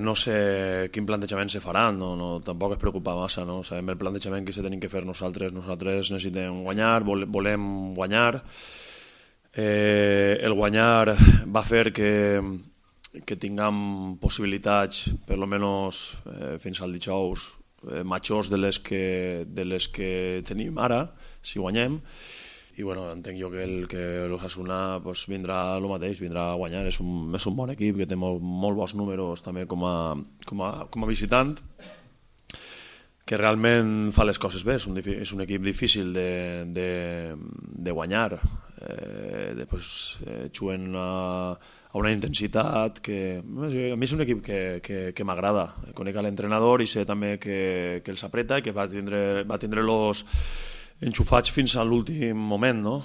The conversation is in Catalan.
No sé quin plantejament se farà, tampoc es preocupa massa, no? Sabem el plantejament que se tenim que fer nosaltres. Nosaltres necessitem guanyar, volem guanyar. El guanyar va fer que tinguem possibilitats, per almenys fins al dijous, majors de les que tenim ara, si guanyem. I bueno, entenc jo que l'Osasuna pues, vindrà el mateix, vindrà a guanyar. És un bon equip que té molt bons números també com a visitant, que realment fa les coses bé. És un equip difícil de guanyar. Juguen a una intensitat que a mi és un equip que m'agrada. Conec l'entrenador i sé també que els apreta i que va tindre-los enxufats fins a l'últim moment, no?